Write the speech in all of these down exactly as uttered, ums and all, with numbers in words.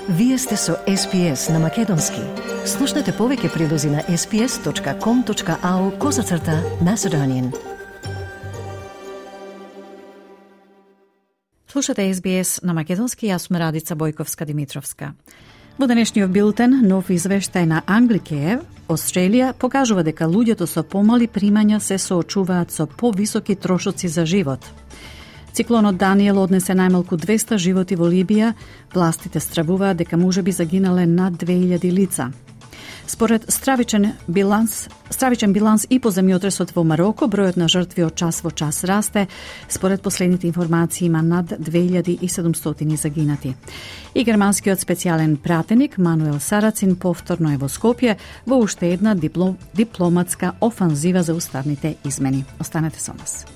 Вие сте со Ес Би Ес на Македонски. Слушнете повеќе прилози на ес би ес точка ком точка ау козацрта Macedonian. Слушате Ес Би Ес на Македонски, јас сум Радица Бојковска-Димитровска. Во денешниот билтен, нов извештај на Anglicare, Австралија, покажува дека луѓето со помали примања се соочуваат со повисоки трошоци за живот. Циклонот Даниел однесе најмалку двеста животи во Либија, властите стравуваат дека можеби загинале над две илјади лица. Според стравичен биланс, стравичен биланс и по земјотресот во Мароко, бројот на жртви од час во час расте. Според последните информации има над две илјади и седумстотини загинати. И германскиот специјален пратеник Мануел Сарацин повторно е во Скопје во уште една диплом, дипломатска офанзива за уставните измени. Останете со нас.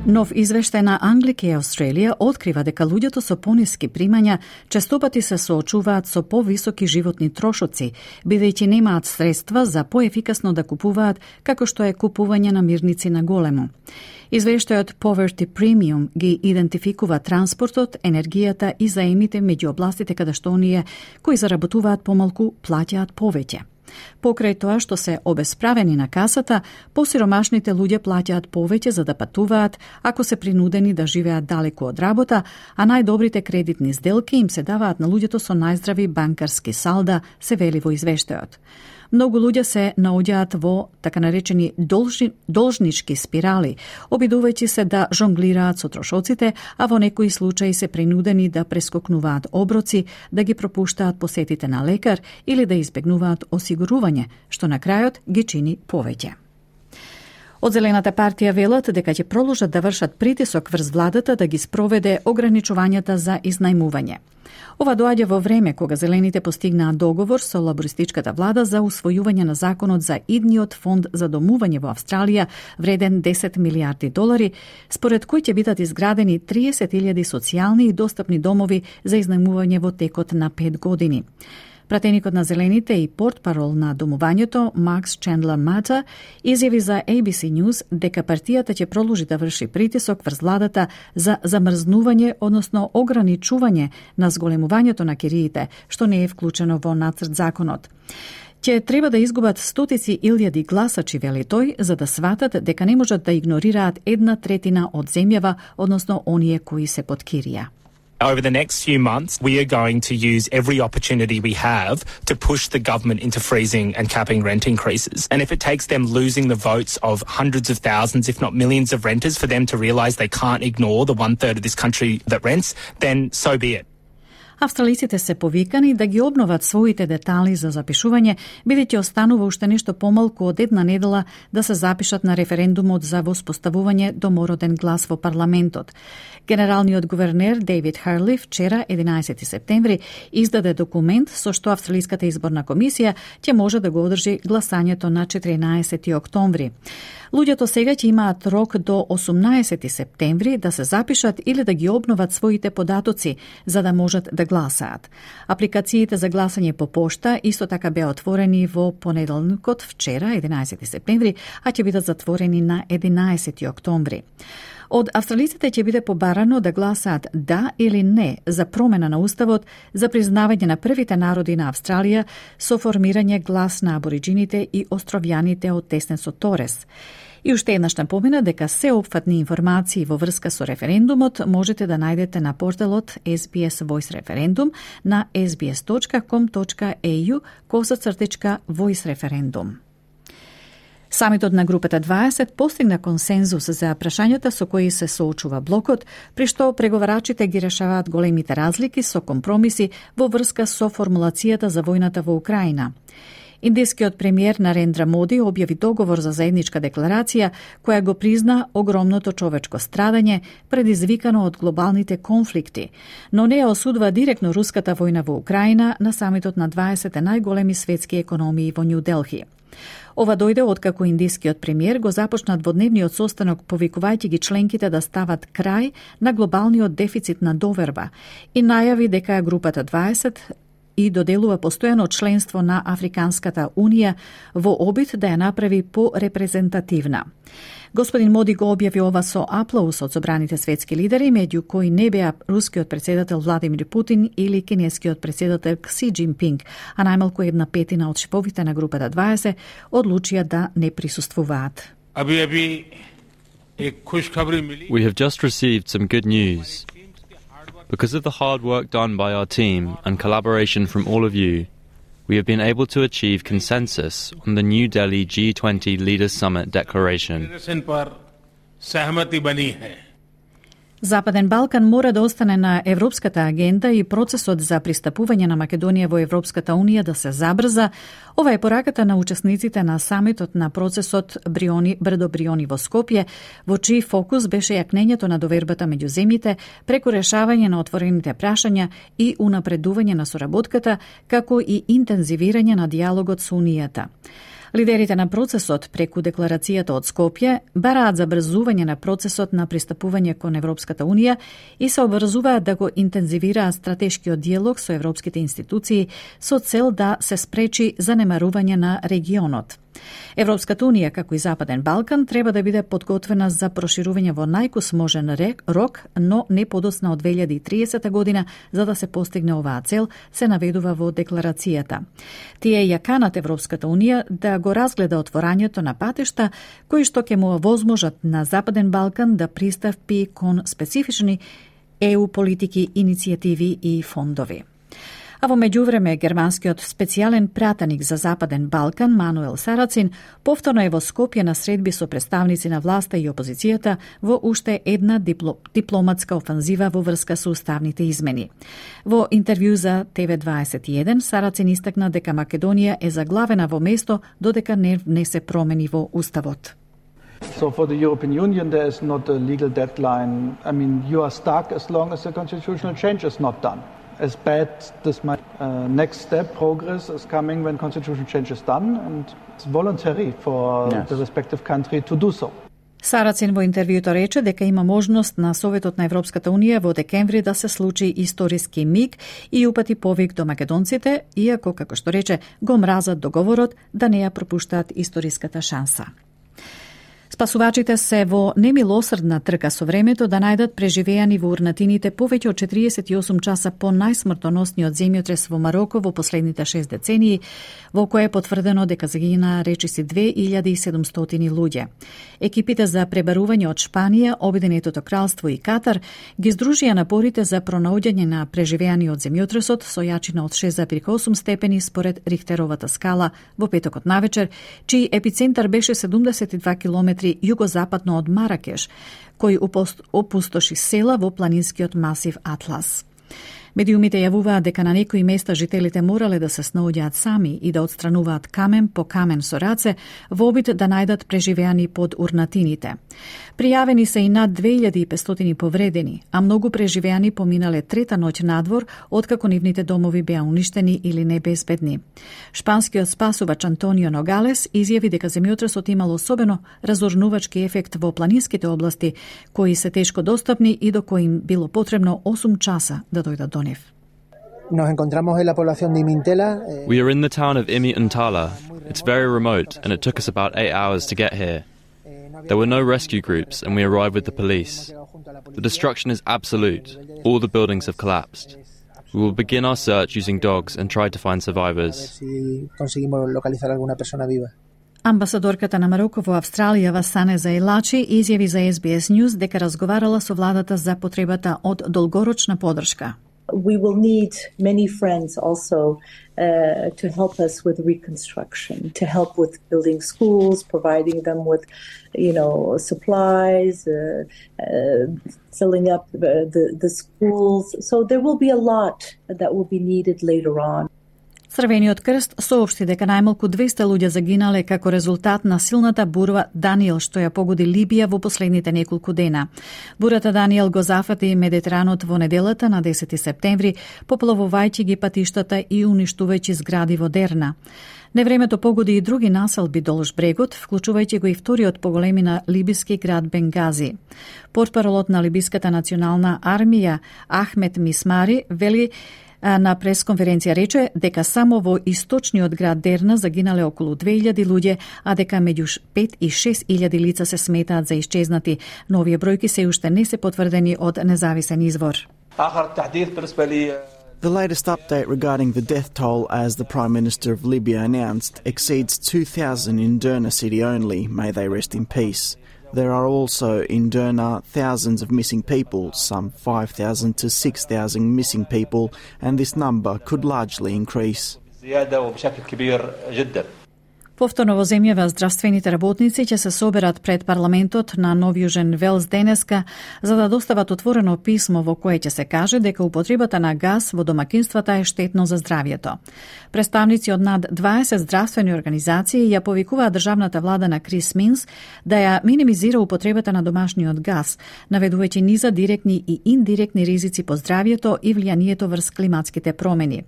Нов извештај на Anglicare Австралија открива дека луѓето со пониски примања честопати се соочуваат со повисоки животни трошоци, бидејќи немаат средства за поефикасно да купуваат, како што е купување на мирници на големо. Извештајот Poverty Premium ги идентификува транспортот, енергијата и заемите меѓу областите каде што оние кои заработуваат помалку плаќаат повеќе. Покрај тоа што се обесправени на касата, посиромашните луѓе плаќаат повеќе за да патуваат ако се принудени да живеат далеку од работа, а најдобрите кредитни сделки им се даваат на луѓето со најздрави банкарски салда, се вели во извештајот. Многу луѓе се наоѓаат во така наречени должни, должнички спирали, обидувајќи се да жонглираат со трошоците, а во некои случаи се принудени да прескокнуваат оброци, да ги пропуштаат посетите на лекар или да избегнуваат осигурување, што на крајот ги чини повеќе. Од Зелената партија велат дека ќе продолжат да вршат притисок врз владата да ги спроведе ограничувањата за изнајмување. Ова доаѓа во време кога Зелените постигнаа договор со лабористичката влада за усвојување на законот за идниот фонд за домување во Австралија, вреден десет милијарди долари, според кој ќе бидат изградени триесет илјади социјални и достапни домови за изнајмување во текот на пет години. Пратеникот на Зелените и портпарол на домувањето, Макс Чендлер Мата, изјави за Ей Би Си News дека партијата ќе продолжи да врши притисок врз владата за замрзнување, односно ограничување на зголемувањето на кириите, што не е вклучено во нацрт законот. Ќе треба да изгубат стотици илјади гласачи, вели тој, за да сватат дека не можат да игнорираат една третина од земјава, односно оние кои се под кирија. Over the next few months, we are going to use every opportunity we have to push the government into freezing and capping rent increases. And if it takes them losing the votes of hundreds of thousands, if not millions of renters for them to realise they can't ignore the one-third of this country that rents, then so be it. Австралиците се повикани да ги обноват своите детали за запишување, бидејќи останува уште нешто помалку од една недела да се запишат на референдумот за воспоставување домороден глас во парламентот. Генералниот гувернер Дейвид Харли вчера, единаесети септември, издаде документ со што Австралиската изборна комисија ќе може да го одржи гласањето на четиринаесети октомври. Луѓето сега ќе имаат рок до осумнаесети септември да се запишат или да ги обноват своите податоци за да можат да гласаат. Апликациите за гласање по пошта исто така беа отворени во понеделникот вчера, единаесети септември, а ќе бидат затворени на единаесети октомври. Од австралиците ќе биде побарано да гласаат да или не за промена на уставот за признавање на првите народи на Австралија со формирање глас на абориджините и островјаните од Теснесот Торес. И уште еднаш напомена дека се опфатни информации во врска со референдумот можете да најдете на порталот Ес Би Ес Voice Referendum на ес би ес точка ком точка ей ю косацртичка voice referendum. Самитот на групата дваесет постигна консензус за прашањата со кои се соочува блокот, при што преговарачите ги решаваат големите разлики со компромиси во врска со формулацијата за војната во Украина. Индискиот премиер Нарендра Моди објави договор за заедничка декларација која го призна огромното човечко страдање предизвикано од глобалните конфликти, но не ја осудува директно руската војна во Украина на самитот на дваесет најголеми светски економии во Нью Делхи. Ова дојде откако индискиот премиер го започна дводневниот состанок повикувајќи ги членките да стават крај на глобалниот дефицит на доверба и најави дека групата дваесет и доделува постојано членство на Африканската унија во обид да ја направи порепрезентативна. Господин Моди го објави ова со аплауз од собраните светски лидери, меѓу кои не беа рускиот председател Владимир Путин или кинескиот председател Кси Џинпинг, а најмалку една петина од шефовите на групата дваесет одлучија да не присуствуваат. We have just received some good news. Because of the hard work done by our team and collaboration from all of you, we have been able to achieve consensus on the New Delhi G twenty Leaders Summit Declaration. Западен Балкан мора да остане на европската агенда и процесот за пристапување на Македонија во Европската унија да се забрза. Ова е пораката на учесниците на самитот на процесот Бриони Брдо Бриони во Скопје, во чиј фокус беше јакнењето на довербата меѓу земјите преку решавање на отворените прашања и унапредување на соработката, како и интензивирање на дијалогот со Унијата. Лидерите на процесот преку декларацијата од Скопје бараат забрзување на процесот на пристапување кон Европската унија и се обврзуваат да го интензивираат стратешкиот дијалог со европските институции со цел да се спречи занемарување на регионот. Европската унија, како и Западен Балкан, треба да биде подготвена за проширување во најкус можен рок, но не подоцна од две илјади и триесета година, за да се постигне оваа цел, се наведува во декларацијата. Тие ја канат Европската унија да го разгледа отворањето на патишта, кои што ќе му овозможат на Западен Балкан да пристапи кон специфични Е У политики, иницијативи и фондови. А во меѓувреме, германскиот специјален пратеник за Западен Балкан, Мануел Сарацин, повторно е во Скопје на средби со представници на власта и опозицијата во уште една дипло, дипломатска офанзива во врска со уставните измени. Во интервју за Т В дваесет и еден, Сарацин истакна дека Македонија е заглавена во место додека не внесе промени во уставот. So for the European Union there is not a legal deadline. I mean, you are stuck as long as the constitutional change is not done. As bad this might, uh, next step, progress is coming when constitutional change is done, and it's voluntary for yes. the respective country to do so. Сарацин во интервјуто рече дека има можност на Советот на Европската унија во декември да се случи историски миг и упати повик до македонците, иако, како што рече, го мразат договорот да не ја пропуштаат историската шанса. Спасувачите се во немилосрдна трка со времето да најдат преживеани во урнатините повеќе од четириесет и осум часа по најсмртоносниот земјотрес во Мароко во последните шест децении, во кој е потврдено дека загина речиси две илјади и седумстотини луѓе. Екипите за пребарување од Шпанија, Обединетото кралство и Катар ги здружија напорите за пронаоѓање на преживеани од земјотресот со јачина од шест зарез осум степени според Рихтеровата скала во петокот навечер, чиј епицентар беше седумдесет и два километри југозападно од Маракеш, кој опустоши села во планинскиот масив Атлас. Медиумите јавуваат дека на некои места жителите морале да се снаоѓаат сами и да отстрануваат камен по камен со раце во обид да најдат преживеани под урнатините. Пријавени се и над две илјади и петстотини повредени, а многу преживеани поминале трета ноќ надвор откако нивните домови беа уништени или небезбедни. Шпанскиот спасувач Антонио Ногалес изјави дека земјотресот имал особено разорнувачки ефект во планинските области, кои се тешко достапни и до кои им било потребно осум часа да дојдат до нив. Nos encontramos en la población de Imintela. We are in the town of Imi Untala. It's very remote and it took us about eight hours to get here. There were no rescue groups and we arrived with the police. The destruction is absolute. All the buildings have collapsed. We will begin our search using dogs and try to find survivors. Амбасадорката на Мароко во Австралија Васане Заелачи изјави за Ес Би Ес News дека разговарала со владата за потребата од долгорочна подршка. We will need many friends also uh, to help us with reconstruction, to help with building schools, providing them with, you know, supplies, uh, uh, filling up the, the, the schools. So there will be a lot that will be needed later on. Црвениот крст соопшти дека најмалку двеста луѓе загинале како резултат на силната бура Даниел што ја погоди Либија во последните неколку дена. Бурата Даниел го зафати Медитеранот во неделата на десети септември, поплавувајќи ги патиштата и уништувајќи згради во Дерна. Невремето погоди и други населби долж брегот, вклучувајќи го и вториот по големина либиски град Бенгази. Портпаролот на Либиската национална армија Ахмет Мисмари вели На пресконференција рече дека само во источниот град Дерна загинале околу две илјади луѓе, а дека меѓу пет и шест илјади лица се сметаат за исчезнати. Но овие бројки се уште не се потврдени од независен извор. The latest update regarding the death toll, as the Prime Minister of Libya announced, exceeds two thousand in Derna city only. May they rest in peace. There are also in Derna thousands of missing people, some five thousand to six thousand missing people, and this number could largely increase. Повторно во земјава здравствените работници ќе се соберат пред парламентот на Нов Јужен Велс денеска за да достават отворено писмо во кое ќе се каже дека употребата на газ во домакинствата е штетно за здравјето. Представници од над дваесет здравствени организации ја повикуваат државната влада на Крис Минс да ја минимизира употребата на домашниот газ, наведувајќи низа директни и индиректни ризици по здравјето и влијанието врз климатските промени.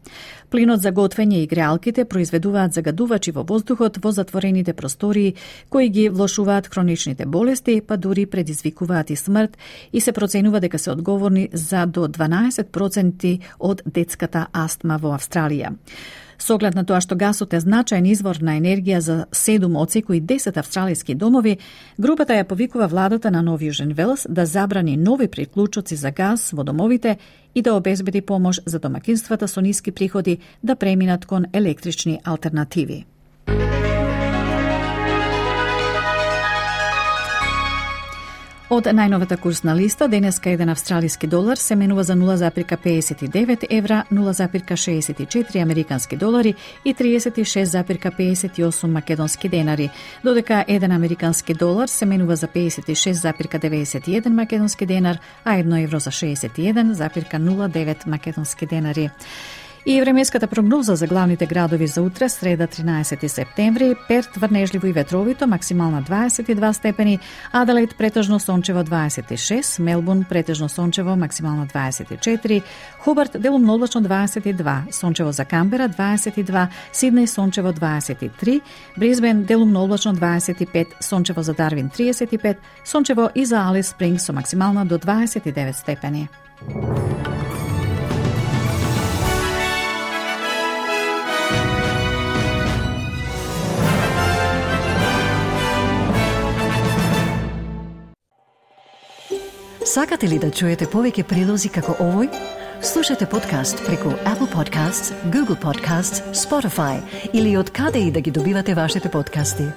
Плинот за готвење и греалките произведуваат загадувачи во воздухот во затворените простории, кои ги влошуваат хроничните болести, па дури предизвикуваат и смрт, и се проценува дека се одговорни за до дванаесет проценти од детската астма во Австралија. Со оглед на тоа што гасот е значаен извор на енергија за седум од секои десет австралиски домови, групата ја повикува владата на Нов Јужен Велс да забрани нови приклучоци за газ во домовите и да обезбеди помош за домакинствата со ниски приходи да преминат кон електрични алтернативи. Од најновата курсна листа, денеска еден австралиски долар се менува за нула запирка педесет и девет евра, нула запирка шеесет и четири американски долари и триесет и шест запирка педесет и осум македонски денари, додека еден американски долар се менува за педесет и шест запирка деветдесет и еден македонски денар, а едно евро за шеесет и еден запирка нула девет македонски денари. И времеската прогноза за главните градови за утре, среда тринаесети септември: Перт врнежливо и ветровито, максимална дваесет и два степени, Аделаид претежно сончево дваесет и шест, Мелбурн претежно сончево, максимална дваесет и четири, Хобарт делумно облачно дваесет и два, сончево за Камбера дваесет и два, Сиднеј сончево дваесет и три, Брисбен делумно облачно дваесет и пет, сончево за Дарвин триесет и пет, сончево и за Алис Спрингс со максимална до дваесет и девет степени. Сакате ли да чуете повеќе прилози како овој? Слушате подкаст преку Apple Podcasts, Google Podcasts, Spotify или од каде и да ги добивате вашите подкасти.